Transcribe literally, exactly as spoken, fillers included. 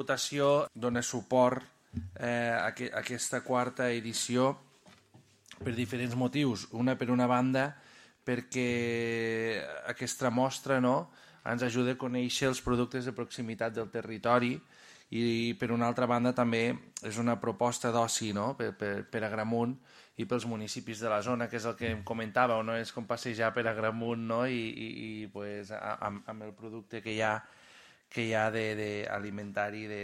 Votació dona suport eh, a, que, a aquesta quarta edició per diferents motius. Una, per una banda, perquè aquesta mostra, no?, ens ajuda a conèixer els productes de proximitat del territori i, per una altra banda, també és una proposta d'oci, no?, per, per, per Agramunt i pels municipis de la zona, que és el que em comentàveu, no?, és com passejar per Agramunt, no?, i, i, i pues, amb, amb el producte que hi ha que hi ha de, de alimentari de,